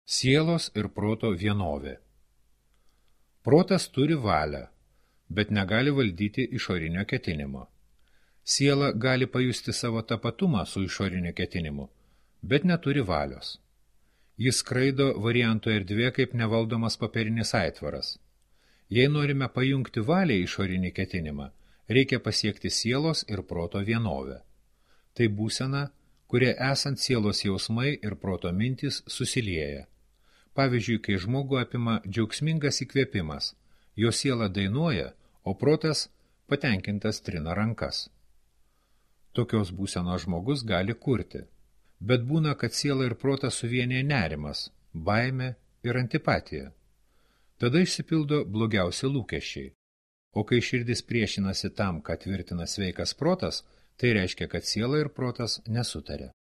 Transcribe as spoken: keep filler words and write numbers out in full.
Sielos ir proto vienovė. Protas turi valią, bet negali valdyti išorinio ketinimo. Siela gali pajusti savo tapatumą su išoriniu ketinimu, bet neturi valios. Jis skraido varianto erdvė kaip nevaldomas popierinis aitvaras. Jei norime pajungti valią išorinį ketinimą, reikia pasiekti sielos ir proto vienovę. Tai būsena, kurie esant sielos jausmai ir proto mintys susilieja. Pavyzdžiui, kai žmogų apima džiaugsmingas įkvėpimas, jo siela dainuoja, o protas patenkintas trina rankas. Tokios būsenos žmogus gali kurti, bet būna, kad siela ir protas suvienyje nerimas, baimė ir antipatija. Tada išsipildo blogiausi lūkesčiai, o kai širdis priešinasi tam, ką tvirtina sveikas protas, tai reiškia, kad siela ir protas nesutaria.